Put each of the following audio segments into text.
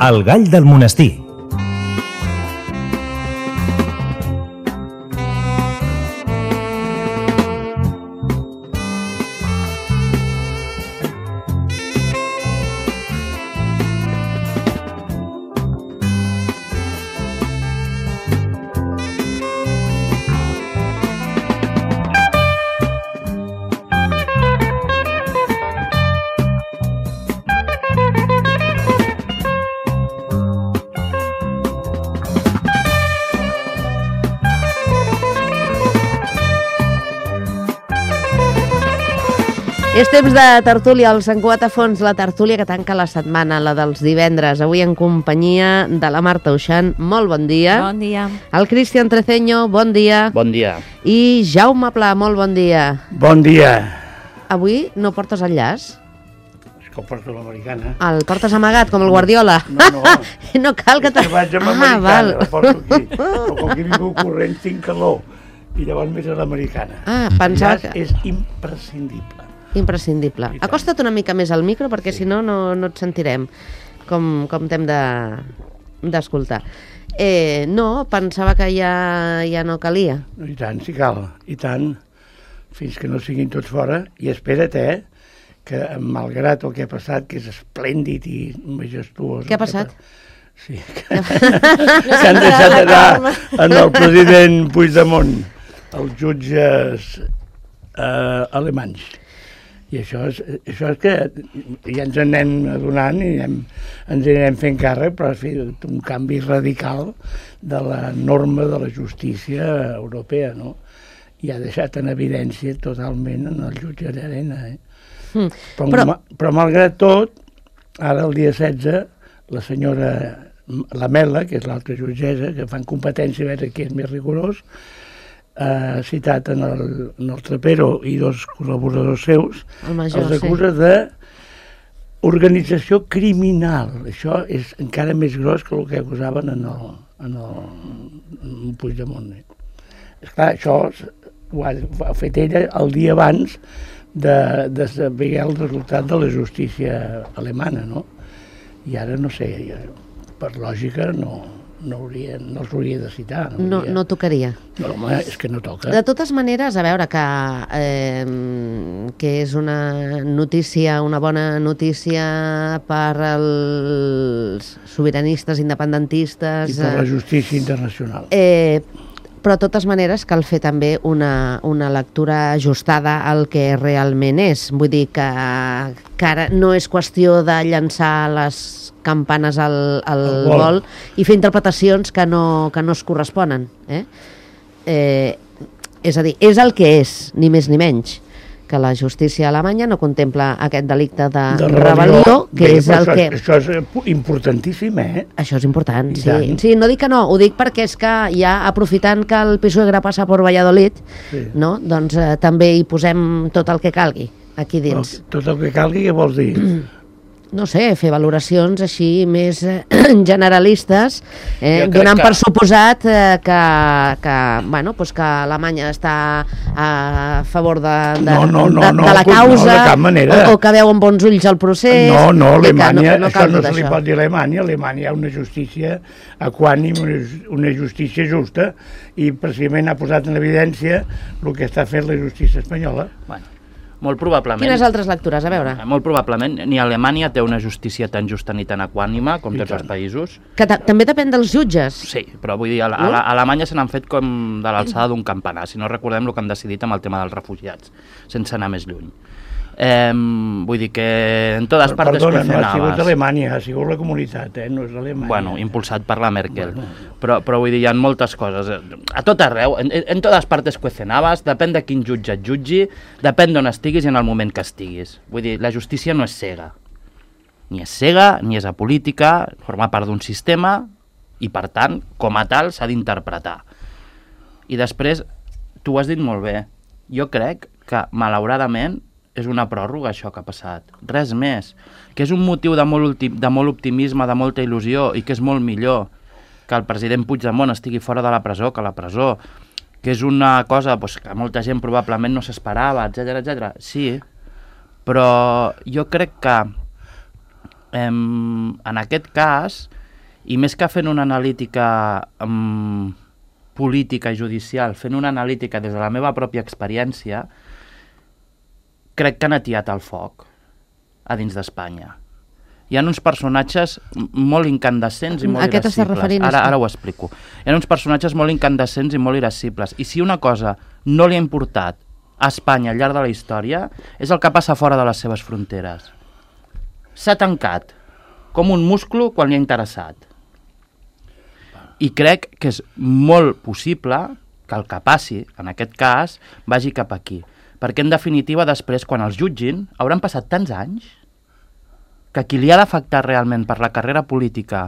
El gall del monestir. És temps de tertúlia, el Sant Cugat a fons, la tertúlia que tanca la setmana, la dels divendres. Avui en companyia de la Marta Uixant, molt bon dia. Bon dia. El Cristian Treceño, bon dia. Bon dia. I Jaume Pla, molt bon dia. Bon dia. Avui no portes el llaç? És que ho porto l'americana. El portes amagat, com el Guardiola? No. No cal que... És que vaig amb l'americana, la porto aquí. Però com que vinc corrent tinc calor. I llavors més a l'americana. Pensava que... que... és imprescindible. Imprescindible. Acosta't una mica més al micro perquè si no, no et sentirem com t'hem d'escoltar. No, pensava que ja no calia. I tant, si cal, i tant, fins que no siguin tots fora. I espera't, que malgrat el que ha passat, que és esplèndid i majestuós... Què ha passat? Sí, que han deixat anar en el president Puigdemont, els jutges alemanys. I això és que ja ens anem adonant i ens anirem fent càrrec, però ha fet un canvi radical de la norma de la justícia europea, no? I ha deixat en evidència totalment en el jutge d'Arena. Però malgrat tot, ara el dia 16, la senyora Lamela, que és l'altra jutgessa, que fan competència a veure qui és més rigorós, ha citat en el Trapero i dos col·laboradors seus, els acusa d'organització criminal. Això és encara més gros que el que acusaven en el Puigdemont. Esclar, això ho ha fet ella el dia abans de saber el resultat de la justícia alemana, no? I ara no sé, per lògica no els hauria de citar. No tocaria. No, home, és que no toca. De totes maneres, a veure, que és una notícia, una bona notícia per als sobiranistes, independentistes... I per la justícia internacional. Però de totes maneres cal fer també una lectura ajustada al que realment és. Vull dir que ara no és qüestió de llançar les campanes al vol i fer interpretacions que no es corresponen. És a dir, és el que és, ni més ni menys, que la justícia alemanya no contempla aquest delicte de rebel·lió, que és el que... Això és importantíssim, Això és important, sí. Sí, no dic que no, ho dic perquè és que ja aprofitant que el PSOE passa per Valladolid, no? Doncs també hi posem tot el que calgui aquí dins. Tot el que calgui, què vols dir? No sé, fer valoracions així més generalistes, donant per suposat que Alemanya està a favor de la causa, de cap manera. O que veu amb bons ulls el procés. No, Alemanya, això no se li pot dir a Alemanya. A Alemanya hi ha una justícia equànime, una justícia justa, i precisament ha posat en evidència el que està fent la justícia espanyola. Bueno, molt probablement... Quines altres lectures? A veure. Molt probablement, ni Alemanya té una justícia tan justa ni tan equànima com tots els països. Que també depèn dels jutges. Sí, però vull dir, a Alemanya se n'han fet com de l'alçada d'un campanar, si no recordem el que han decidit amb el tema dels refugiats, sense anar més lluny. Vull dir que en totes partes Perdona, no ha sigut Alemanya, ha sigut la comunitat, no és Alemanya. Bueno, impulsat per la Merkel. Però vull dir, hi ha moltes coses. A tot arreu, en totes partes cuecenabas, depèn de quin jutge et jutgi, depèn d'on estiguis i en el moment que estiguis. Vull dir, la justícia no és cega. Ni és cega, ni és apolítica, forma part d'un sistema i, per tant, com a tal, s'ha d'interpretar. I després, tu ho has dit molt bé, jo crec que, malauradament, és una pròrroga això que ha passat, res més, que és un motiu de molt optimisme, de molta il·lusió, i que és molt millor que el president Puigdemont estigui fora de la presó, que la presó, que és una cosa que molta gent probablement no s'esperava, etc. Sí, però jo crec que en aquest cas, i més que fent una analítica política i judicial, fent una analítica des de la meva pròpia experiència, crec que han atiat el foc a dins d'Espanya. Hi ha uns personatges molt incandescents i molt irascibles. Ara ho explico. Hi ha uns personatges molt incandescents i molt irascibles. I si una cosa no li ha importat a Espanya al llarg de la història, és el que passa fora de les seves fronteres. S'ha tancat com un musclo quan li ha interessat. I crec que és molt possible que el que passi, en aquest cas, vagi cap aquí. Perquè, en definitiva, després, quan els jutgin, hauran passat tants anys que qui li ha d'afectar realment per la carrera política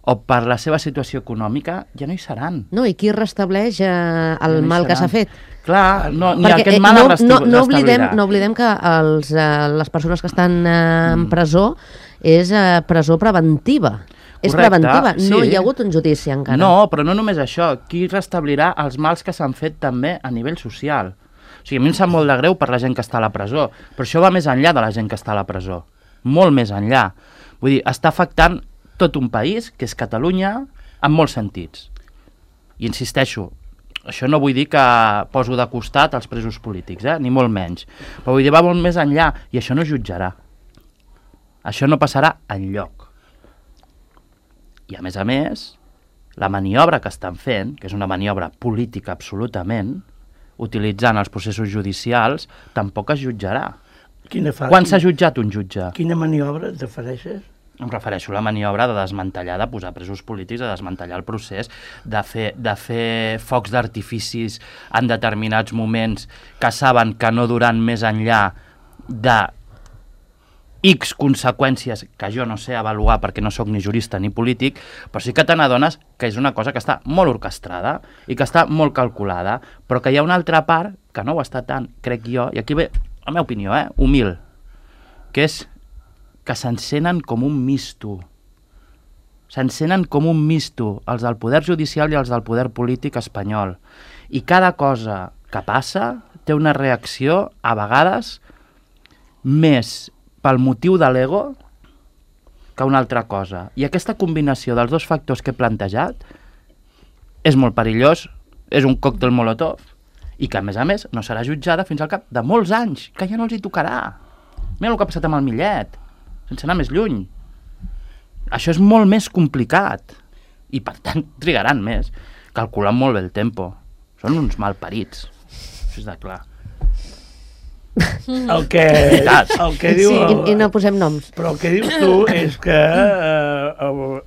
o per la seva situació econòmica ja no hi seran. No, i qui restableix el mal que s'ha fet? Clar, ni aquest mal es restablirà. No oblidem que les persones que estan en presó és presó preventiva. És preventiva, no hi ha hagut un judici encara. No, però no només això. Qui restablirà els mals que s'han fet també a nivell social? O sigui, a mi em sap molt de greu per la gent que està a la presó, però això va més enllà de la gent que està a la presó. Molt més enllà. Vull dir, està afectant tot un país, que és Catalunya, en molts sentits. I insisteixo, això no vull dir que poso de costat els presos polítics, ni molt menys. Però vull dir, va molt més enllà, i això no jutjarà. Això no passarà enlloc. I a més, la maniobra que estan fent, que és una maniobra política absolutament, utilitzant els processos judicials, tampoc es jutjarà. Quan s'ha jutjat un jutge? Quina maniobra et refereixes? Em refereixo a la maniobra de desmantellar, de posar presos polítics, de desmantellar el procés, de fer focs d'artificis en determinats moments que saben que no duran més enllà de X conseqüències que jo no sé avaluar perquè no sóc ni jurista ni polític, però sí que te n'adones que és una cosa que està molt orquestrada i que està molt calculada, però que hi ha una altra part que no ho està tant, crec jo, i aquí ve la meva opinió, humil, que és que s'encenen com un misto. S'encenen com un misto els del poder judicial i els del poder polític espanyol. I cada cosa que passa té una reacció, a vegades, més pel motiu de l'ego que una altra cosa. I aquesta combinació dels dos factors que he plantejat és molt perillós, és un còctel molotov, i que, a més, no serà jutjada fins al cap de molts anys, que ja no els hi tocarà. Mira el que ha passat amb el Millet, sense anar més lluny. Això és molt més complicat, i per tant trigaran més, calculant molt bé el tempo. Són uns malparits, això és de clar. El que diu... Sí, i no posem noms. Però el que dius tu és que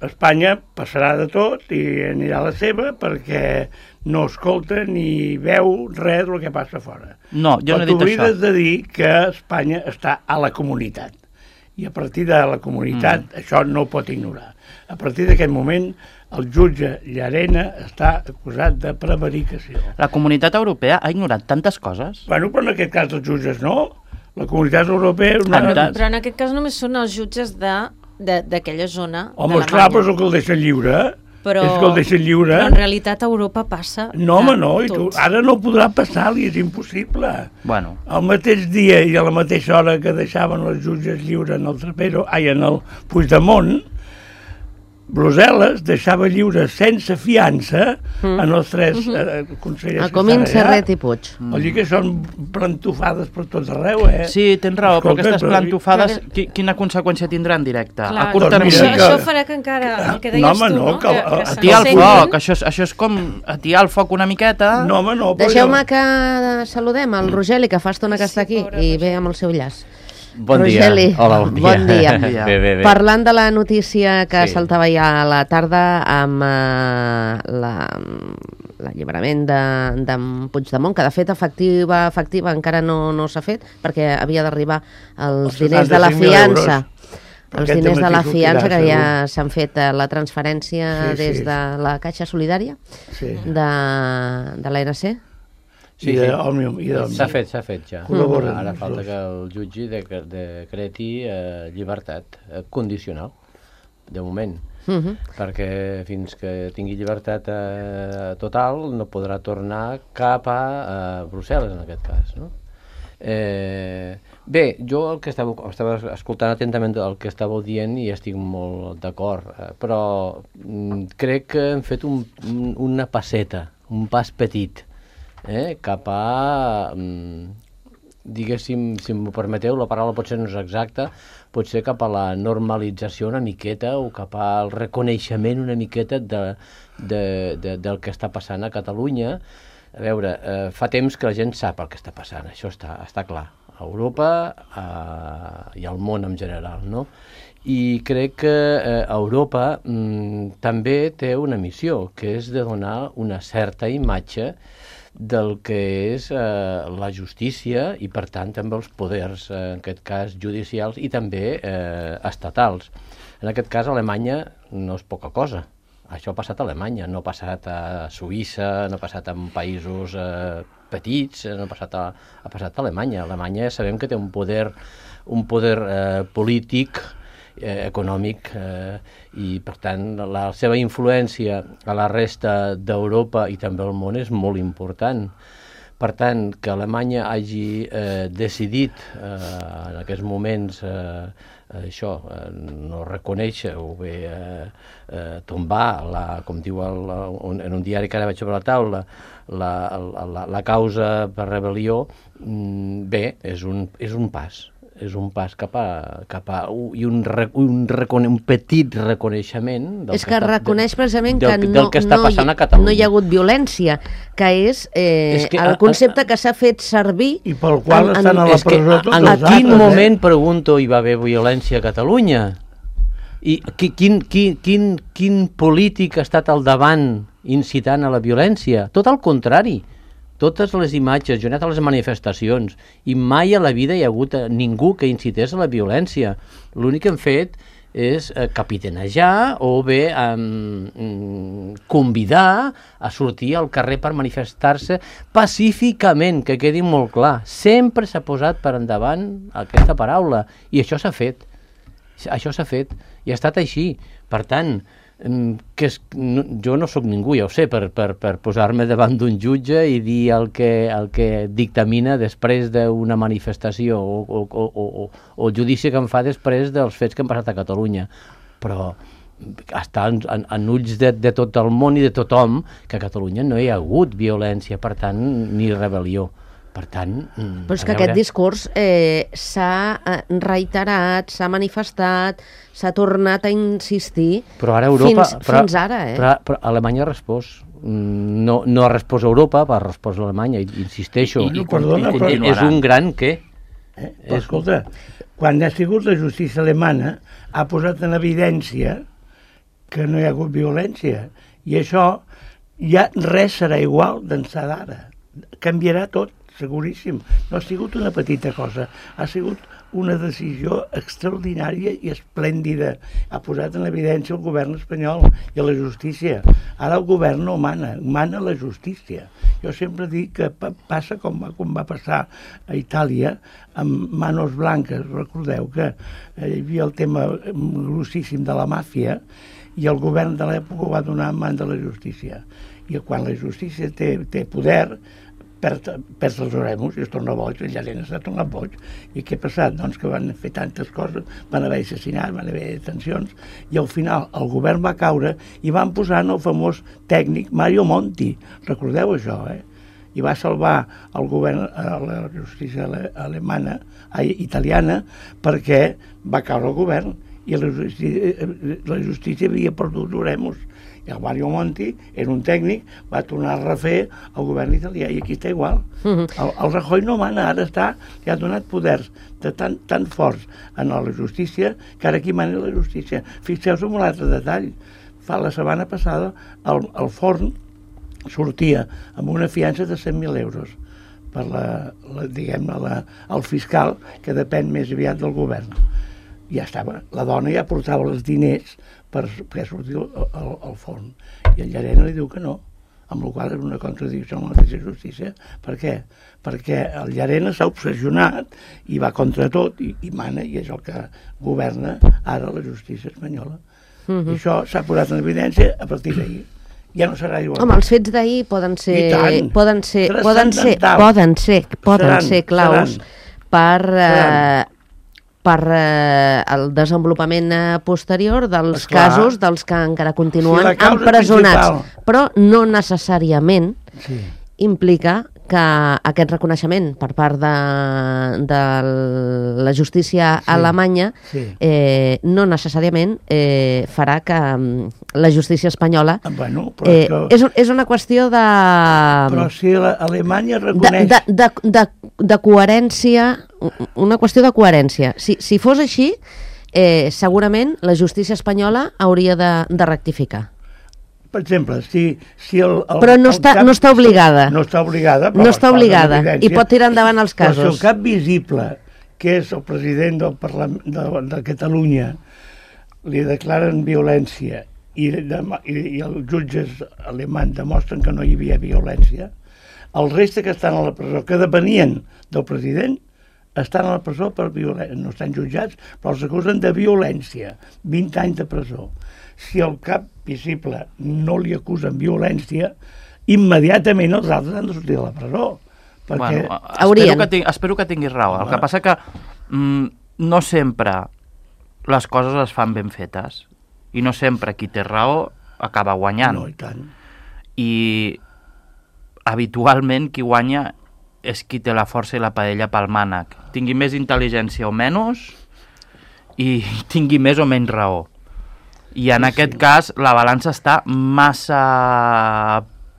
Espanya passarà de tot i anirà a la seva perquè no escolta ni veu res del que passa fora. No, jo no he dit això. Però t'oblides de dir que Espanya està a la comunitat. I a partir de la comunitat això no ho pot ignorar. A partir d'aquest moment el jutge Llarena està acusat de prevaricació. La comunitat europea ha ignorat tantes coses. Bueno, però en aquest cas els jutges no. La comunitat europea... Però en aquest cas només són els jutges d'aquella zona d'Alemanya. Home, esclar, però és el que el deixen lliure. Però en realitat a Europa passa... No, home, no, i tu, ara no podrà passar-li, és impossible. Bueno. El mateix dia i a la mateixa hora que deixaven els jutges lliures en el Trapero, en el Puigdemont, Brussel·les deixava lliures sense fiança en els tres consellers a Comín, Serret i Puig. Vol dir que són plantofades per tot arreu, Sí, tens raó, però aquestes plantofades quina conseqüència tindran directa? Clar, a curt termini. Això farà que encara, el que deies tu, no? Atiar el foc, això és com atiar el foc una miqueta. No, home, no. Deixeu-me que saludem el Rogeli, que fa estona que està aquí, i ve amb el seu llaç. Bon Rogeli, dia. Hola, bon dia. Bon dia. Bé. Parlant de la notícia que saltava ja a la tarda amb l'alliberament d'en Puigdemont, que de fet efectiva encara no s'ha fet, perquè havia d'arribar els diners de la fiança. Els diners de la fiança, que ja s'han fet la transferència des de la Caixa Solidària de l'ANC. Sí. S'ha fet ja. Ara falta que el jutge decreti llibertat condicional, de moment, perquè fins que tingui llibertat total no podrà tornar cap a Brussel·les, en aquest cas, no? Bé, jo el que estava escoltant atentament el que estàveu dient i estic molt d'acord, però crec que hem fet una passeta, un pas petit, cap a, diguéssim, si m'ho permeteu, la paraula potser no és exacta, potser cap a la normalització una miqueta o cap al reconeixement una miqueta del que està passant a Catalunya. A veure, fa temps que la gent sap el que està passant, això està clar, a Europa i al món en general, no? I crec que Europa també té una missió, que és de donar una certa imatge del que és la justícia i, per tant, també els poders, en aquest cas, judicials i també estatals. En aquest cas, Alemanya no és poca cosa. Això ha passat a Alemanya, no ha passat a Suïssa, no ha passat en països petits, no ha passat a Alemanya. Alemanya sabem que té un poder polític, econòmic, i per tant la seva influència a la resta d'Europa i també al món és molt important. Per tant, que Alemanya hagi decidit en aquests moments això, no reconèixer o bé tombar, com diu en un diari que ara veig sobre la taula, la causa per rebel·lió, bé, és un pas. És un pas cap a un petit reconeixement és que reconeix precisament que no hi ha hagut violència, que és el concepte que s'ha fet servir i pel qual estan a la presó tots els altres. En quin moment, pregunto, hi va haver violència a Catalunya? I quin polític ha estat al davant incitant a la violència? Tot el contrari. Totes les imatges, jo he anat a les manifestacions i mai a la vida hi ha hagut ningú que incités a la violència. L'únic que hem fet és capitanejar o bé convidar a sortir al carrer per manifestar-se pacíficament, que quedi molt clar. Sempre s'ha posat per endavant aquesta paraula i això s'ha fet. Això s'ha fet i ha estat així. Per tant, jo no sóc ningú, ja ho sé, per posar-me davant d'un jutge i dir el que dictamina després d'una manifestació o el judici que em fa després dels fets que han passat a Catalunya. Però està en ulls de tot el món i de tothom que a Catalunya no hi ha hagut violència, per tant, ni rebel·lió. Per tant, però és que aquest discurs s'ha reiterat, s'ha manifestat, s'ha tornat a insistir fins ara. Però Alemanya ha respost. No ha respost Europa, ha respost Alemanya, insisteixo. És un gran què? Escolta, quan ha sigut la justícia alemana ha posat en evidència que no hi ha hagut violència i això ja res serà igual d'ençà d'ara. Canviarà tot. Seguríssim. No ha sigut una petita cosa, ha sigut una decisió extraordinària i esplèndida. Ha posat en evidència el govern espanyol i la justícia. Ara el govern no mana la justícia. Jo sempre dic que passa com va passar a Itàlia amb Manos Blanques. Recordeu que hi havia el tema grossíssim de la màfia i el govern de l'època ho va donar en mans de la justícia. I quan la justícia té poder, perd els oremus i es torna boig, el Llarena s'ha tornat boig. I què ha passat? Doncs que van fer tantes coses, van haver assassinats, van haver detencions, i al final el govern va caure i van posar el famós tècnic Mario Monti. Recordeu això, I va salvar el govern, la justícia italiana, perquè va caure el govern i la justícia havia perdut oremus. I el Mario Monti era un tècnic, va tornar a refer el govern italià i aquí està igual. El Rajoy no mana, ara li ha donat poders tan forts en la justícia que ara aquí mana la justícia. Fixeu-vos en un altre detall. La setmana passada el Forn sortia amb una fiança de 100.000 euros per el fiscal que depèn més aviat del govern. Ja estava, la dona ja portava els diners per sortir al Forn i el Llarena li diu que no, amb la qual és una contradicció amb la mateixa justícia. Per què? Perquè el Llarena s'ha obsessionat i va contra tot i mana, i és el que governa ara la justícia espanyola. I això s'ha posat en evidència a partir d'ahir. ja no serà igual. Home, els fets d'ahir poden ser claus per el desenvolupament posterior dels casos dels que encara continuen empresonats. Però no necessàriament implica que aquest reconeixement per part de la justícia alemanya no necessàriament farà que la justícia espanyola... És una qüestió de... Però si Alemanya reconeix... De coherència, una qüestió de coherència. Si fos així, segurament la justícia espanyola hauria de rectificar. Per exemple, si però no està obligada. No està obligada. No està obligada i pot tirar endavant els casos. Però si el cap visible, que és el president del Parlament de Catalunya, li declaren violència i els jutges alemanys demostren que no hi havia violència, el reste que estan a la presó, que depenien del president, estan a la presó per violència. No estan jutjats, però els acusen de violència. 20 anys de presó. Si el cap visible no li acusen violència, immediatament els altres han de sortir de la presó. Perquè... Espero que tinguis raó. El que passa que no sempre les coses es fan ben fetes i no sempre qui té raó acaba guanyant. No, i tant. I habitualment qui guanya és qui té la força i la paella pel mànec. Tingui més intel·ligència o menys i tingui més o menys raó. I en aquest cas la balança està massa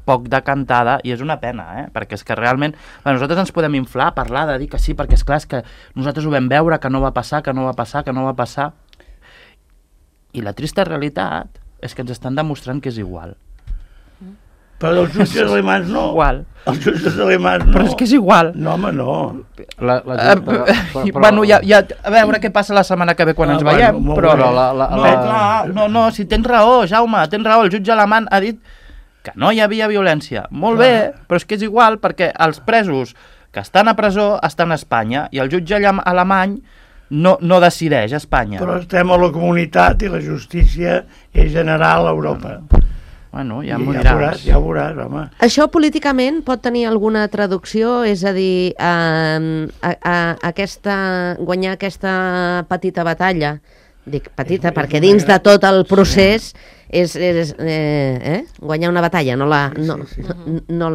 poc decantada i és una pena, perquè és que realment nosaltres ens podem inflar, parlar, de dir que sí, perquè és clar que nosaltres ho vam veure, que no va passar, que no va passar. I la trista realitat és que ens estan demostrant que és igual. Però els jutges alemans no. Igual. Els jutges alemans no. Però és que és igual. No, home, no. Bueno, ja a veure què passa la setmana que ve quan ens veiem. No, si tens raó, Jaume, tens raó. El jutge alemany ha dit que no hi havia violència. Molt bé, però és que és igual perquè els presos que estan a presó estan a Espanya i el jutge alemany no decideix a Espanya. Però estem a la comunitat i la justícia és general a Europa. Bueno, ja m'ho diràs. Ja ho veuràs, home. Això políticament pot tenir alguna traducció? És a dir, guanyar aquesta petita batalla, dic petita perquè dins de tot el procés és guanyar una batalla, no la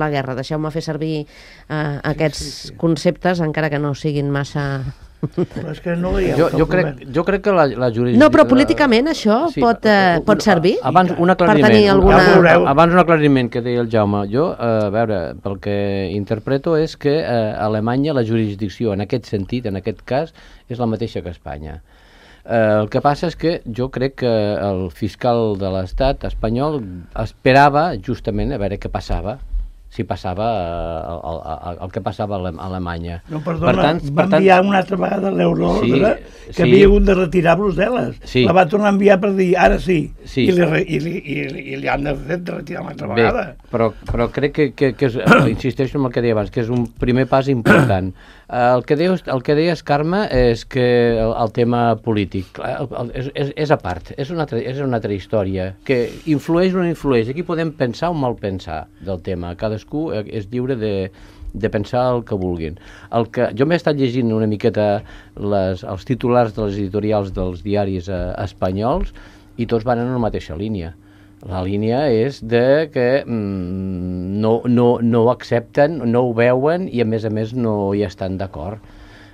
guerra. Deixeu-me fer servir aquests conceptes, encara que no siguin massa... Però és que no jo crec que la jurisdicció... No, però políticament això pot servir? Abans un aclariment que deia el Jaume. Jo, a veure, pel que interpreto és que a Alemanya la jurisdicció en aquest sentit, en aquest cas, és la mateixa que Espanya. El que passa és que jo crec que el fiscal de l'Estat espanyol esperava justament a veure què passava, si passava el que passava a Alemanya. No, perdona, va enviar una altra vegada l'euroordre que havia hagut de retirar a Brussel·les. La va tornar a enviar per dir, ara sí. I li han de fer de retirar una altra vegada. Però crec que insisteixo en el que deia abans, que és un primer pas important. El que deies, Carme, és que el tema polític és a part, és una altra història, que influeix o no influeix. Aquí podem pensar o mal pensar del tema. Cadascú és lliure de pensar el que vulguin. Jo m'he estat llegint una miqueta els titulars de les editorials dels diaris espanyols i tots van en la mateixa línia. La línia és de que no ho accepten, no ho veuen i a més no hi estan d'acord.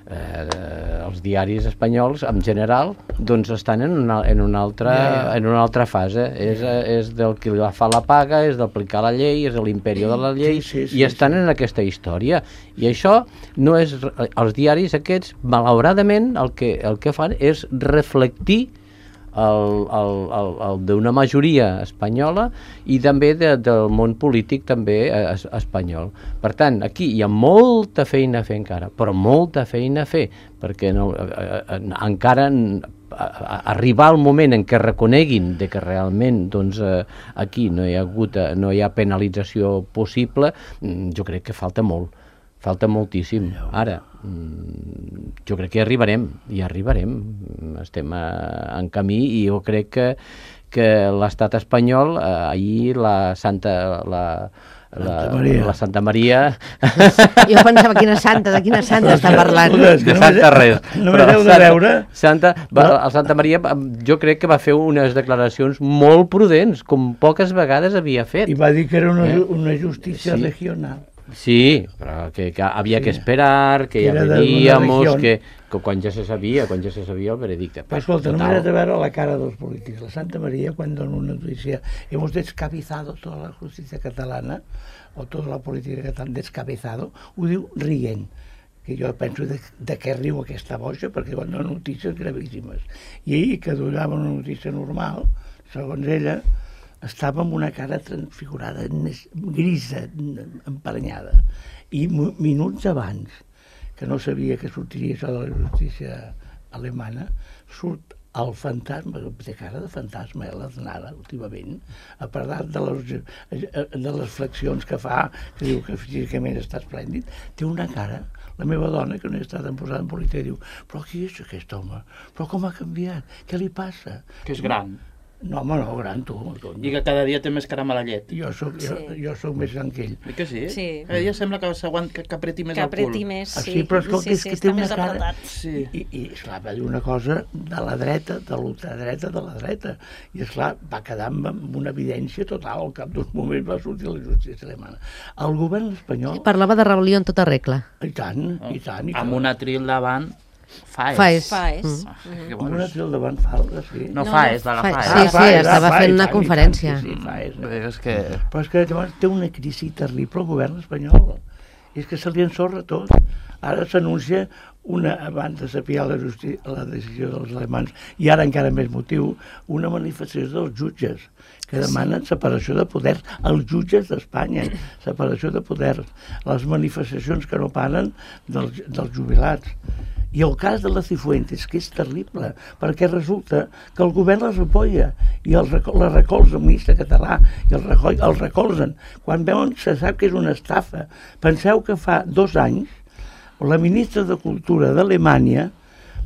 Els diaris espanyols en general doncs estan en una altra fase. És del que fa la paga, és d'aplicar la llei, és de l'imperi de la llei, i estan en aquesta història. I això no és... Els diaris aquests, malauradament, el que fan és reflectir d'una majoria espanyola i també del món polític també espanyol. Per tant, aquí hi ha molta feina a fer encara, però molta feina a fer, perquè encara arribar al moment en què reconeguin de que realment aquí no hi ha penalització possible, jo crec que falta molt. Falta moltíssim. Ara, jo crec que hi arribarem. Estem en camí i jo crec que l'estat espanyol, ahir la Santa Maria... Jo pensava, de quina santa està parlant? De Santa res. Només heu de veure... El Santa Maria, jo crec que va fer unes declaracions molt prudents, com poques vegades havia fet. I va dir que era una justícia regional. Sí, però que havia que esperar, que ja veníamos, que quan ja se sabia el veredicte. Però escolta, només has de veure la cara dels polítics. La Santa Maria, quan dona una notícia, hemos descabezado toda la justícia catalana, o tota la política catalana descabezado, ho diu rient. Que jo penso de què riu aquesta boja, perquè quan dona notícies gravíssimes. I ahir, que donava una notícia normal, segons ella, estava amb una cara transfigurada, grisa, emparanyada. I minuts abans, que no sabia que sortiria això de la justícia alemana, surt el fantasma, té cara de fantasma, l'Aznara, últimament, a parlar de les flexions que fa, que diu que físicament està esplèndid, té una cara, la meva dona, que no he estat posada en política, diu, però qui és aquest home? Però com ha canviat? Què li passa? Que és gran. No, home, no, gran, tu. I que cada dia té més cara a la llet. Jo soc més gran que ell. I que sí? Sí. Ella sembla que apreti més el cul. Que apreti més, sí. Sí, però escolta, és que té una cara... Sí. I esclar, va dir una cosa de la dreta, de l'ultradreta, de la dreta. I esclar, va quedar amb una evidència total. Al cap d'uns moments va sortir la justícia alemana. El govern espanyol... Parlava de rebel·lió en tota regla. I tant, i tant. Amb un atril davant... Faes. Amb un atril davant falta, sí. No, Faes, de la Faes. Sí, estava fent una conferència. Sí, Faes. Però és que llavors té una crisi terrible el govern espanyol. És que se li ensorra tot. Ara s'anuncia abans de saber la decisió dels alemans, i ara encara més motiu, una manifestació dels jutges, que demanen separació de poders, els jutges d'Espanya, separació de poders, les manifestacions que no paren dels jubilats. I el cas de la Cifuentes, que és terrible, perquè resulta que el govern les apoya i la recolza el ministre català i el recolzen. Quan veuen, se sap que és una estafa. Penseu que fa 2 anys la ministra de Cultura d'Alemanya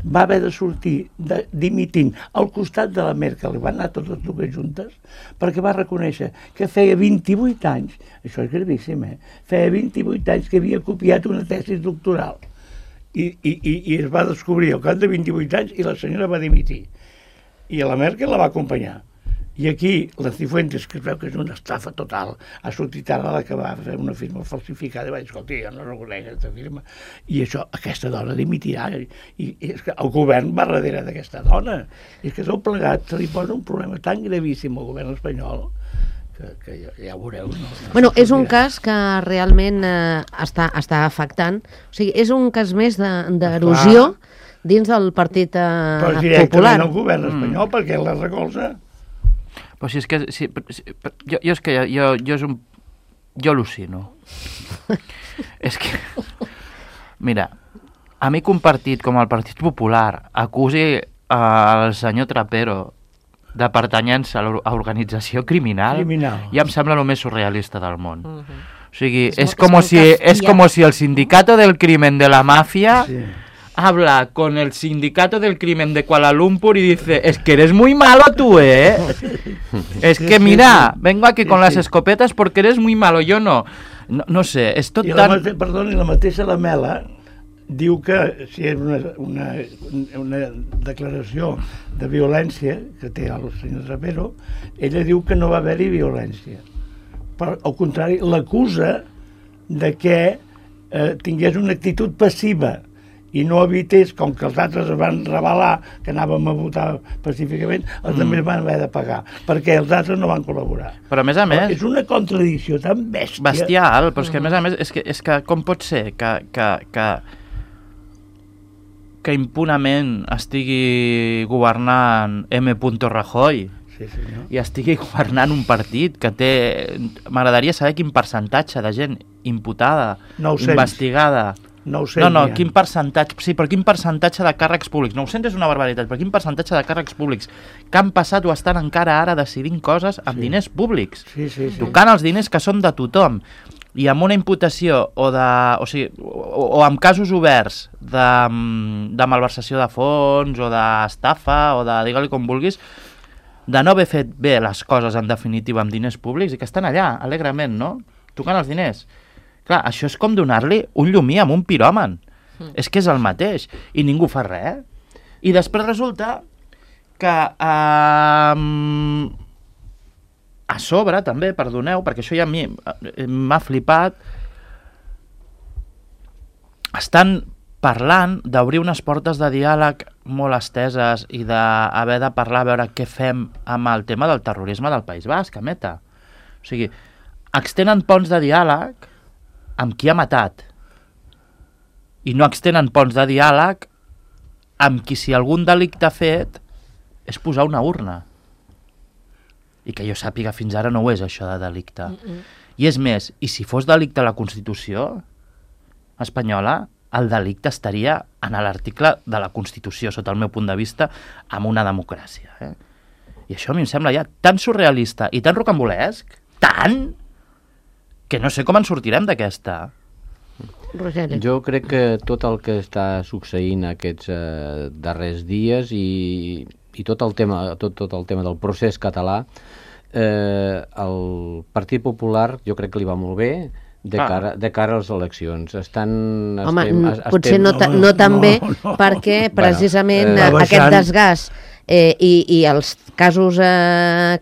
va haver de sortir dimitint al costat de la Merkel, van anar totes dues juntes, perquè va reconèixer que feia 28 anys, això és gravíssim, feia 28 anys que havia copiat una tesi doctoral. I es va descobrir al cap de 28 anys i la senyora va dimitir. I la Merkel la va acompanyar. I aquí, la Cifuentes, que es veu que és una estafa total, ha sortit ara la que va fer una firma falsificada i va dir, escolta, jo no reconec aquesta firma. I això, aquesta dona dimitirà. I és que el govern va darrere d'aquesta dona. I és que tot plegat se li posa un problema tan gravíssim al govern espanyol que ja veureu. Bueno, és un cas que realment està afectant. O sigui, és un cas més d'erosió dins del Partit Popular. Però directament al govern espanyol, perquè la recolza. Però si és que... Jo al·lucino. És que... Mira, a mi que un partit com el Partit Popular acusi al senyor Trapero de pertanyença a organització criminal, ja em sembla el més surrealista del món. O sigui, és com si el sindicato del crimen de la mafia habla con el sindicato del crimen de Kuala Lumpur y dice, es que eres muy malo tú, ¿eh? Es que mira, vengo aquí con las escopetas porque eres muy malo, yo no. No sé, és tot tan... Perdoni, la mateixa Lamela diu que si és una declaració de violència que té el senyor Trapero, ella diu que no va haver-hi violència. Però, al contrari, l'acusa de que tingués una actitud passiva i no evités, com que els altres es van rebel·lar, que anàvem a votar pacíficament, els també van haver de pagar, perquè els altres no van col·laborar. Però a més... És una contradicció tan bèstia. Bestial, però és que a més és que com pot ser que impunament estigui governant M. Rajoy i estigui governant un partit que té... M'agradaria saber quin percentatge de gent imputada, 900. Investigada... 900 no, quin percentatge... Sí, però quin percentatge de càrrecs públics? 900 és una barbaritat, però quin percentatge de càrrecs públics que han passat o estan encara ara decidint coses amb diners públics, tocant els diners que són de tothom, i amb una imputació o amb casos oberts de malversació de fons o d'estafa o de, digue-li com vulguis, de no haver fet bé les coses en definitiva amb diners públics i que estan allà, alegrement, no? Tocant els diners. Clar, això és com donar-li un llumí amb un piròman. És que és el mateix. I ningú fa res. I després resulta que a sobre, també, perdoneu, perquè això ja a mi m'ha flipat, estan parlant d'obrir unes portes de diàleg molt esteses i d'haver de parlar a veure què fem amb el tema del terrorisme del País Basc, a Meta. O sigui, extenen ponts de diàleg amb qui ha matat i no extenen ponts de diàleg amb qui, si algun delicte ha fet, és posar una urna. I que jo sàpiga fins ara no ho és, això de delicte. I és més, i si fos delicte a la Constitució espanyola, el delicte estaria en l'article de la Constitució, sota el meu punt de vista, amb una democràcia. I això a mi em sembla ja tan surrealista i tan rocambolesc, tant, que no sé com en sortirem d'aquesta. Rogeri. Jo crec que tot el que està succeint aquests darrers dies i tot el tema del procés català, el Partit Popular jo crec que li va molt bé de cara a les eleccions. Potser no tan bé, perquè precisament aquest desgast i els casos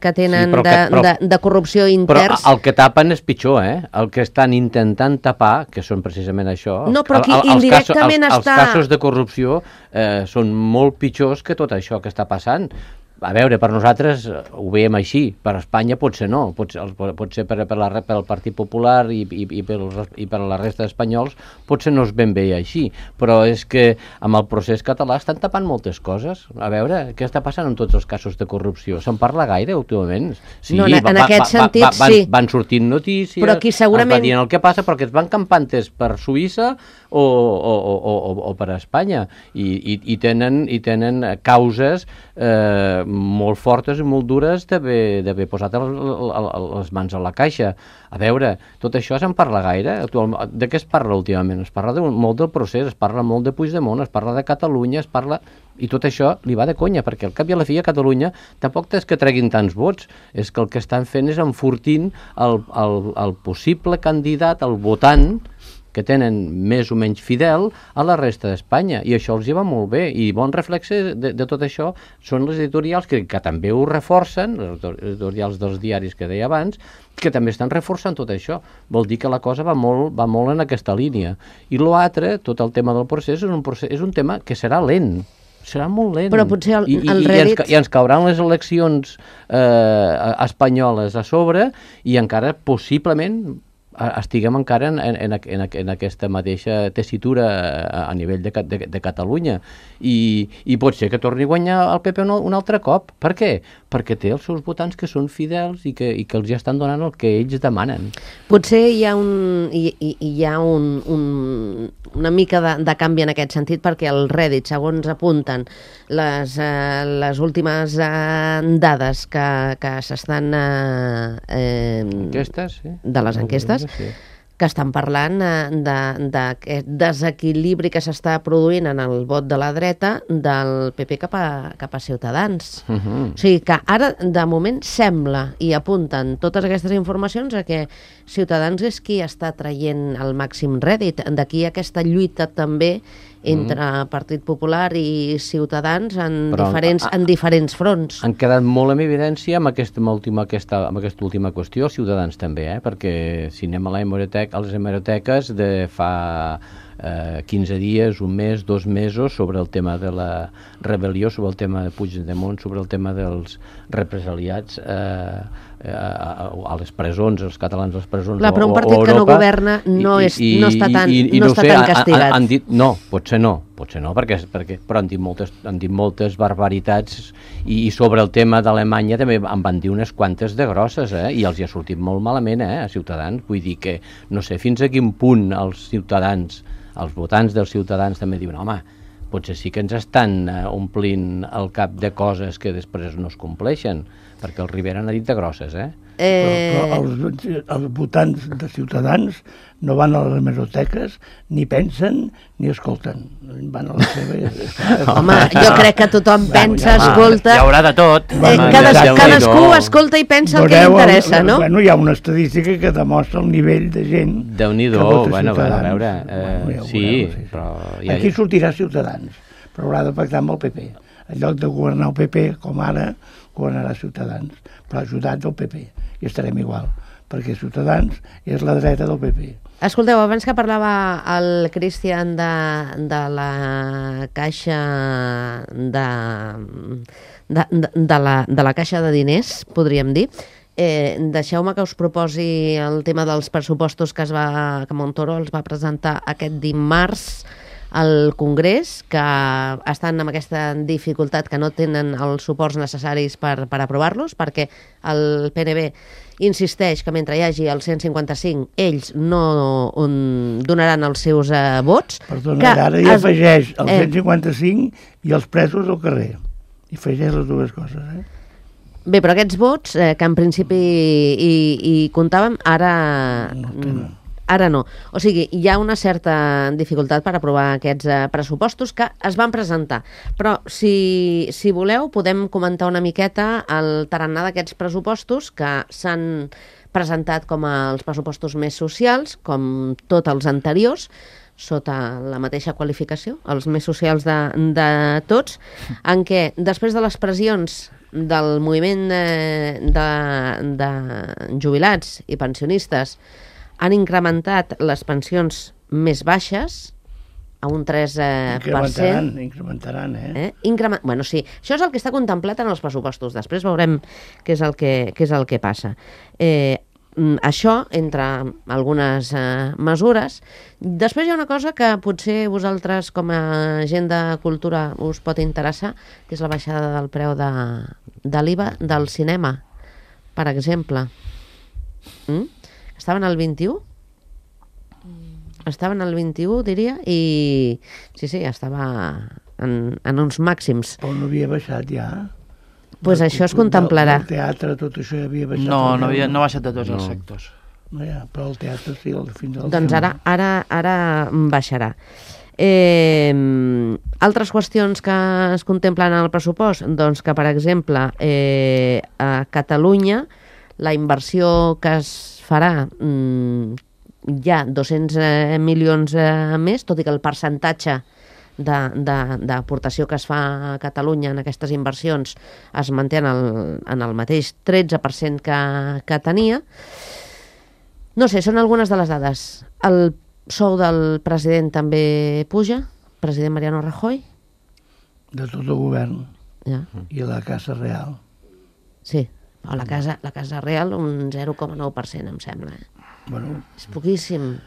que tenen de corrupció interns... Però el que tapen és pitjor, el que estan intentant tapar, que són precisament això... No, però aquí indirectament els casos de corrupció són molt pitjors que tot això que està passant. A veure, per nosaltres ho veiem així, per Espanya potser no, potser pel Partit Popular i per la resta d'espanyols potser no és ben bé així, però és que amb el procés català estan tapant moltes coses. A veure, què està passant amb tots els casos de corrupció? Se'n parla gaire últimament? Sí, no, en aquest sentit, sí. Van sortint notícies, però aquí segurament... es va dient el que passa, perquè es van campantes per Suïssa o per Espanya i tenen causes molt fortes i molt dures d'haver posat les mans a la caixa. A veure, tot això se'n parla gaire? De què es parla últimament? Es parla molt del procés, es parla molt de Puigdemont, es parla de Catalunya, es parla... I tot això li va de conya, perquè al cap i a la fi a Catalunya tampoc és que treguin tants vots, és que el que estan fent és enfortint el possible candidat, el votant, que tenen més o menys fidel a la resta d'Espanya, i això els hi va molt bé, i bon reflex de tot això són les editorials que també ho reforcen, les editorials dels diaris que deia abans, que també estan reforçant tot això. Vol dir que la cosa va molt en aquesta línia. I l'altre, tot el tema del procés, és un tema que serà lent, serà molt lent. Però potser el Reddit... I ens cauran les eleccions espanyoles a sobre i encara possiblement estiguem encara en aquesta mateixa tessitura a nivell de Catalunya i pot ser que torni a guanyar el PP un altre cop. Per què? Perquè té els seus votants que són fidels i que els ja estan donant el que ells demanen. Potser hi ha una mica de canvi en aquest sentit, perquè el Reddit, segons apunten les últimes dades que s'estan enquestes, sí, de les enquestes, sí, que estan parlant d'aquest desequilibri que s'està produint en el vot de la dreta del PP cap a Ciutadans. O sigui que ara, de moment, sembla, i apunten totes aquestes informacions, a que Ciutadans és qui està traient el màxim rèdit. D'aquí aquesta lluita també entre Partit Popular i Ciutadans en diferents fronts. Han quedat molt en evidència amb aquesta última qüestió, els Ciutadans també, perquè si anem a les hemeroteques de fa 15 dies, un mes, 2 mesos, sobre el tema de la rebel·lió, sobre el tema de Puigdemont, sobre el tema dels represaliats a les presons, els catalans a les presons o Europa. Però un partit que no governa no està tan castigat. Han dit, no, potser no, però han dit moltes barbaritats i sobre el tema d'Alemanya també en van dir unes quantes de grosses, i els hi ha sortit molt malament a Ciutadans. Vull dir que no sé fins a quin punt els ciutadans, els votants dels Ciutadans també diuen, home, potser sí que ens estan omplint el cap de coses que després no es compleixen, perquè el Rivera n'ha dit de grosses, Però els votants de Ciutadans no van a les hemeroteques, ni pensen, ni escolten. Van a la seva... Home, jo crec que tothom pensa, escolta... Hi haurà de tot. Cadascú escolta i pensa el que li interessa, no? Bueno, hi ha una estadística que demostra el nivell de gent Déu-n'hi-do, que vota bueno, Ciutadans. a veure, sí, però... Aquí sortirà Ciutadans, però haurà de pactar amb el PP. En lloc de governar el PP, com ara, governarà Ciutadans, però ajudat del PP, i estarem igual, perquè Ciutadans és la dreta del PP. Escolteu, abans que parlava el Cristian de la caixa de la caixa de diners, podríem dir, deixeu-me que us proposi el tema dels pressupostos que Montoro els va presentar aquest dimarts al Congrés, que estan amb aquesta dificultat que no tenen els suports necessaris per aprovar-los, perquè el PNB insisteix que mentre hi hagi el 155 ells no donaran els seus vots. Perdona, ara hi afegeix el 155 i els presos al carrer. I afegeix les dues coses, Bé, però aquests vots, que en principi hi comptàvem, ara no. O sigui, hi ha una certa dificultat per aprovar aquests pressupostos que es van presentar. Però, si voleu, podem comentar una miqueta el tarannà d'aquests pressupostos que s'han presentat com els pressupostos més socials, com tots els anteriors, sota la mateixa qualificació, els més socials de tots, en què, després de les pressions del moviment de jubilats i pensionistes, han incrementat les pensions més baixes a un 3%. Incrementaran, Bueno, sí, això és el que està contemplat en els pressupostos. Després veurem què és el que passa. Això, entre algunes mesures. Després hi ha una cosa que potser vosaltres, com a gent de cultura, us pot interessar, que és la baixada del preu de l'IVA del cinema, per exemple. Estaven al 21? Estaven al 21, diria, i sí, estava en uns màxims. Però no havia baixat ja? Doncs això es contemplarà. El teatre, tot això ja havia baixat? No ha baixat de tots els sectors. No, ja, però el teatre sí, fins al... Doncs ara baixarà. Altres qüestions que es contemplen en el pressupost, doncs que, per exemple, a Catalunya la inversió que es farà hi ha 200 milions més, tot i que el percentatge d'aportació que es fa a Catalunya en aquestes inversions es manté en el mateix 13% que tenia. No sé, són algunes de les dades. El sou del president també puja, president Mariano Rajoy. De tot el govern. Ja. I la Casa Real. Sí, però la Casa Real un 0,9%, em sembla. Bueno, és poquíssim.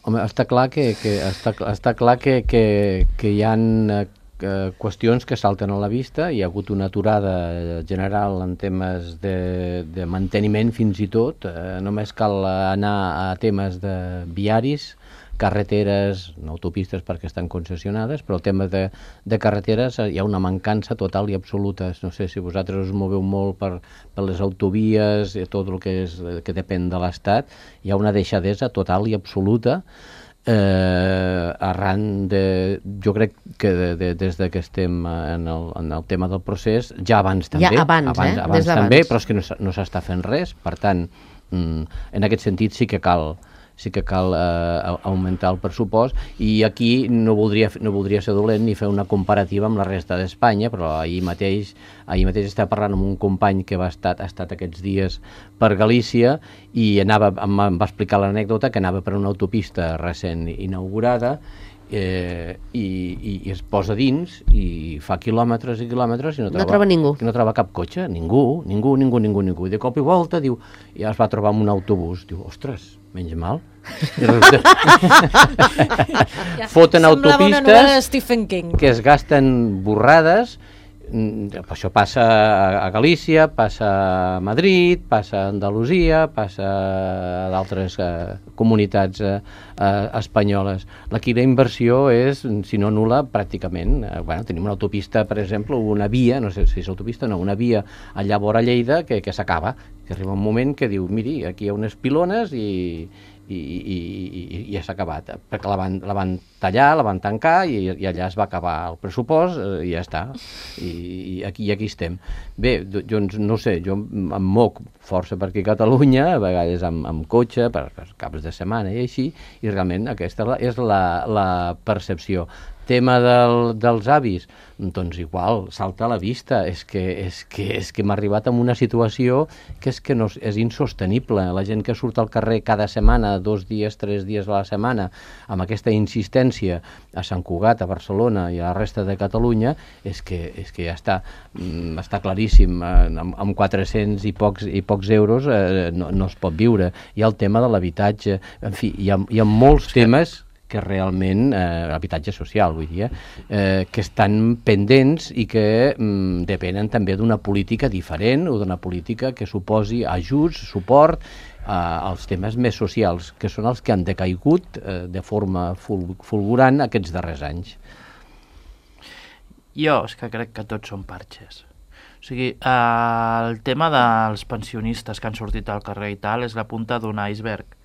Home, està clar que hi ha qüestions que salten a la vista. Hi ha hagut una aturada general en temes de manteniment fins i tot. Només cal anar a temes de viaris, carreteres, no autopistes perquè estan concessionades, però el tema de carreteres hi ha una mancança total i absoluta. No sé si vosaltres us moveu molt per les autovies, tot el que depèn de l'Estat. Hi ha una deixadesa total i absoluta arran de... Jo crec que des que estem en el tema del procés, ja abans també, ja abans també, però és que no s'està fent res. Per tant, en aquest sentit sí que cal augmentar el pressupost, i aquí no voldria ser dolent ni fer una comparativa amb la resta d'Espanya, però ahir mateix estava parlant amb un company que ha estat aquests dies per Galícia i em va explicar l'anècdota que anava per una autopista recent inaugurada i es posa dins i fa quilòmetres i quilòmetres i no troba ningú. No troba cap cotxe, ningú. I de cop i volta diu, ja es va trobar amb un autobús. Diu, ostres, menys mal. Foten autopistes que es gasten borrades. Això passa a Galícia, passa a Madrid, passa a Andalusia, passa a d'altres comunitats espanyoles. Aquí la inversió és, si no nul·la, pràcticament. Tenim una autopista, per exemple, una via, no sé si és autopista, no, una via allà vora Lleida que s'acaba Que arriba un moment que diu, miri, aquí hi ha unes pilones i ja s'ha acabat, perquè la van tallar, la van tancar i allà es va acabar el pressupost i ja està, i aquí estem. Bé, doncs no sé, jo em moc força per aquí a Catalunya, a vegades amb cotxe, per caps de setmana i així, i realment aquesta és la percepció. Tema dels avis, doncs igual, salta a la vista, és que hem arribat a una situació que és insostenible. La gent que surt al carrer cada setmana, 2 dies, 3 dies a la setmana, amb aquesta insistència a Sant Cugat, a Barcelona i a la resta de Catalunya, és que ja està claríssim, amb 400 i pocs euros no es pot viure. Hi ha el tema de l'habitatge, en fi, hi ha molts temes que realment, habitatge social, vull dir, que estan pendents i que depenen també d'una política diferent o d'una política que suposi ajuts, suport als temes més socials, que són els que han decaigut de forma fulgurant aquests darrers anys. Jo és que crec que tots són parxes. O sigui, el tema dels pensionistes que han sortit al carrer i tal és la punta d'un iceberg,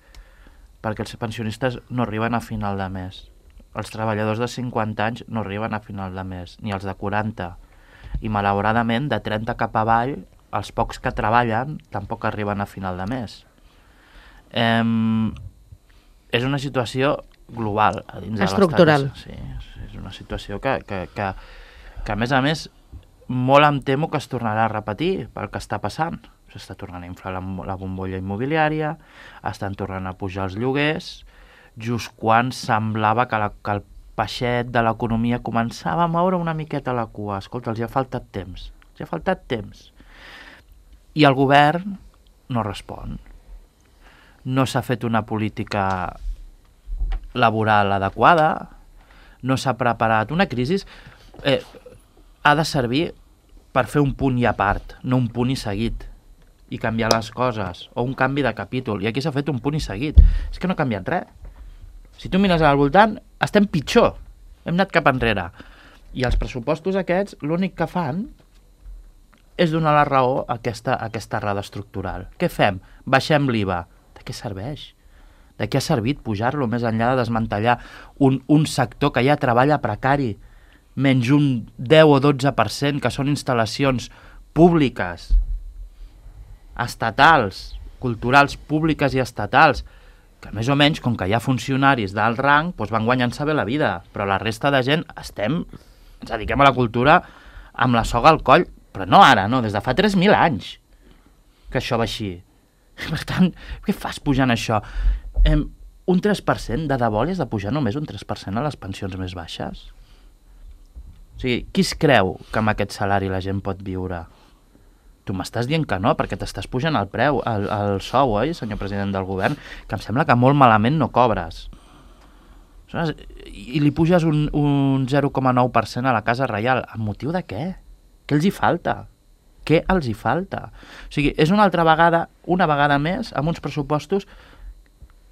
perquè els pensionistes no arriben a final de mes. Els treballadors de 50 anys no arriben a final de mes, ni els de 40. I malauradament, de 30 cap avall, els pocs que treballen tampoc arriben a final de mes. És una situació global a dins estructural. De l'estat. Sí, és una situació que a més, molt em temo que es tornarà a repetir pel que està passant. S'està tornant a inflar la bombolla immobiliària, estan tornant a pujar els lloguers, just quan semblava que el peixet de l'economia començava a moure una miqueta la cua. Escolta, els hi ha faltat temps. I el govern no respon. No s'ha fet una política laboral adequada, no s'ha preparat. Una crisi ha de servir per fer un punt i a part, no un punt i seguit, i canviar les coses, o un canvi de capítol. I aquí s'ha fet un punt i seguit. És que no ha canviat res. Si tu mires al voltant, estem pitjor. Hem anat cap enrere. I els pressupostos aquests, l'únic que fan és donar la raó a aquesta errada estructural. Què fem? Baixem l'IVA. De què serveix? De què ha servit pujar-lo més enllà de desmantellar un sector que ja treballa precari, menys un 10 o 12%, que són instal·lacions públiques, estatals, culturals públiques i estatals, que més o menys, com que hi ha funcionaris d'alt rang, doncs van guanyant-se bé la vida, però la resta de gent ens dediquem a la cultura amb la soga al coll, però no ara, no, des de fa 3.000 anys que això va així. Per tant, què fas pujant això? Un 3%, de debò li has de pujar només un 3% a les pensions més baixes? O sigui, qui es creu que amb aquest salari la gent pot viure? Tu m'estàs dient que no, perquè t'estàs pujant el preu, el sou, oi, senyor president del govern? Que em sembla que molt malament no cobres. I li puges un 0,9% a la Casa Reial. Amb motiu de què? Què els hi falta? Què els hi falta? O sigui, és una vegada més, amb uns pressupostos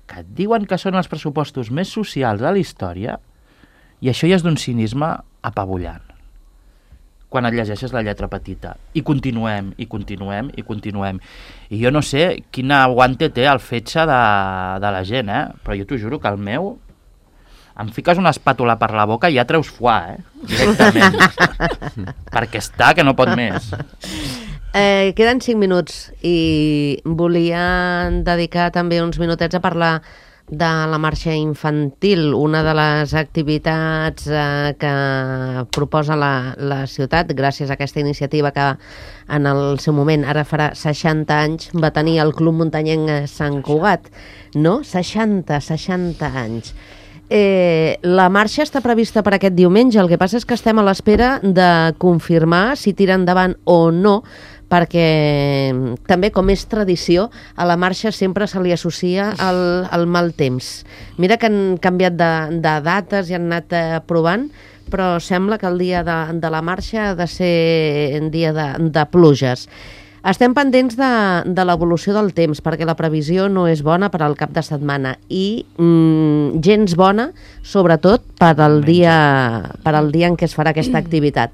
que et diuen que són els pressupostos més socials de la història, i això ja és d'un cinisme apabullant. Quan et llegeixes la lletra petita. I continuem. I jo no sé quin aguante té el fetge de la gent, però jo t'ho juro que el meu... Em fiques una espàtula per la boca i ja treus foie, directament. Perquè està que no pot més. Queden 5 minuts i volia dedicar també uns minutets a parlar de la marxa infantil, una de les activitats que proposa la ciutat, gràcies a aquesta iniciativa que en el seu moment, ara farà 60 anys, va tenir el Club Muntanyenc Sant Cugat. No? 60 anys. La marxa està prevista per aquest diumenge, el que passa és que estem a l'espera de confirmar si tira endavant o no, perquè també, com és tradició, a la marxa sempre se li associa el mal temps. Mira que han canviat de dates i han anat provant, però sembla que el dia de la marxa ha de ser un dia de pluges. Estem pendents de l'evolució del temps, perquè la previsió no és bona per al cap de setmana i gens bona, sobretot per al dia en què es farà aquesta activitat.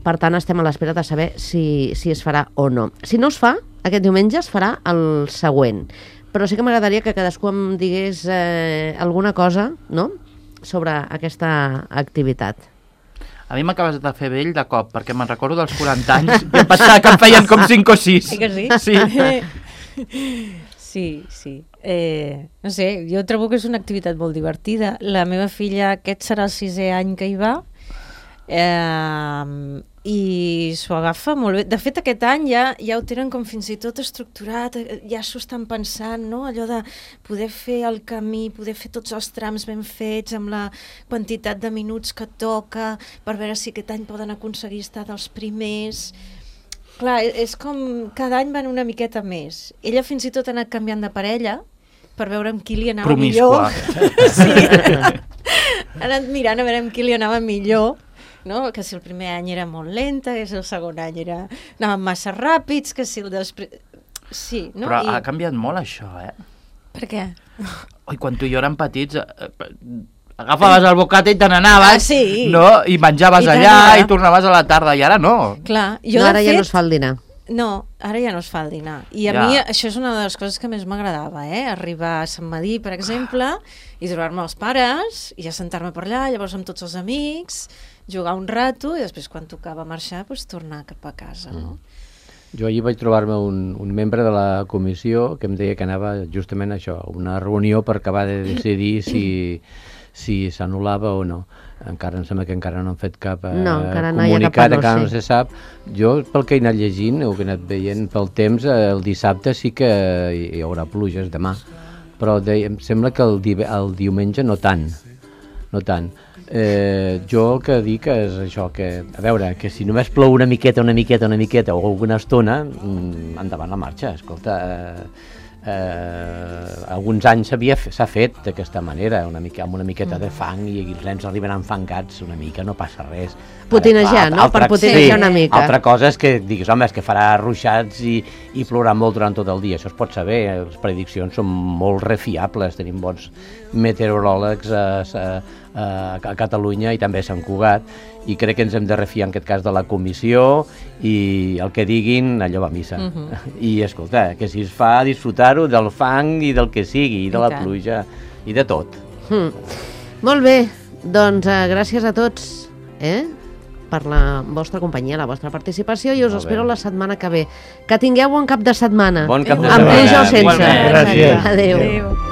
Per tant, estem a l'espera de saber si es farà o no. Si no es fa, aquest diumenge es farà el següent. Però sí que m'agradaria que cadascú em digués alguna cosa, no?, sobre aquesta activitat. A mi m'acabes de fer vell de cop, perquè me'n recordo dels 40 anys i em pensava que em feien com 5 o 6. Que sí? Sí. Sí. No sé, jo trobo que és una activitat molt divertida. La meva filla, aquest serà el 6è any que hi va, i s'ho agafa molt bé. De fet, aquest any ja ho tenen com fins i tot estructurat, ja s'ho estan pensant, no? Allò de poder fer el camí, poder fer tots els trams ben fets, amb la quantitat de minuts que toca, per veure si aquest any poden aconseguir estar dels primers. Clar, és com cada any van una miqueta més. Ella fins i tot ha anat canviant de parella per veure amb qui li anava millor. Sí. Ha anat mirant a veure amb qui li anava millor, no? Que si el primer any era molt lenta, que si el segon any anaven massa ràpids, que si el després... Sí, no? Però ha canviat molt això, Per què? Oi, quan tu i jo érem petits, agafaves el bocata i te n'anaves, sí. No? I menjaves allà i tornaves a la tarda, i ara no. Clar, jo ara ja no es fa el dinar. No, ara ja no es fa el dinar. I a mi això és una de les coses que més m'agradava, arribar a Sant Madí, per exemple, i trobar-me els pares, i ja sentar-me per allà, llavors amb tots els amics, jugar un rato, i després quan tocava marxar, doncs tornar cap a casa, no? Jo ahir vaig trobar-me un membre de la comissió que em deia que anava justament a això, una reunió per acabar de decidir si s'anul·lava o no. Encara em sembla que encara no han fet cap comunicat, encara no se sap. Jo, pel que he anat llegint, o que he anat veient pel temps, el dissabte sí que hi haurà pluges demà, però em sembla que el diumenge no tant. Jo el que dic és això, que, a veure, que si només plou una miqueta o alguna estona, endavant la marxa. Escolta, alguns anys s'ha fet d'aquesta manera, amb una miqueta de fang, i els nens arriben enfangats una mica, no passa res. Potinejar, no? Per potinejar una mica. Altra cosa és que diguis, home, és que farà ruixats i plourà molt durant tot el dia, això es pot saber, les prediccions són molt refiables, tenim bons meteoròlegs a Catalunya i també a Sant Cugat, i crec que ens hem de refiar en aquest cas de la comissió, i el que diguin allò va a missa. I escolta, que si es fa disfrutar-ho del fang i del que sigui, i de la pluja i de tot. Molt bé, doncs gràcies a tots per la vostra companyia, la vostra participació, i us espero la setmana que ve. Que tingueu bon cap de setmana. Bon cap de setmana. Amb pluja o sense. Gràcies. Adéu.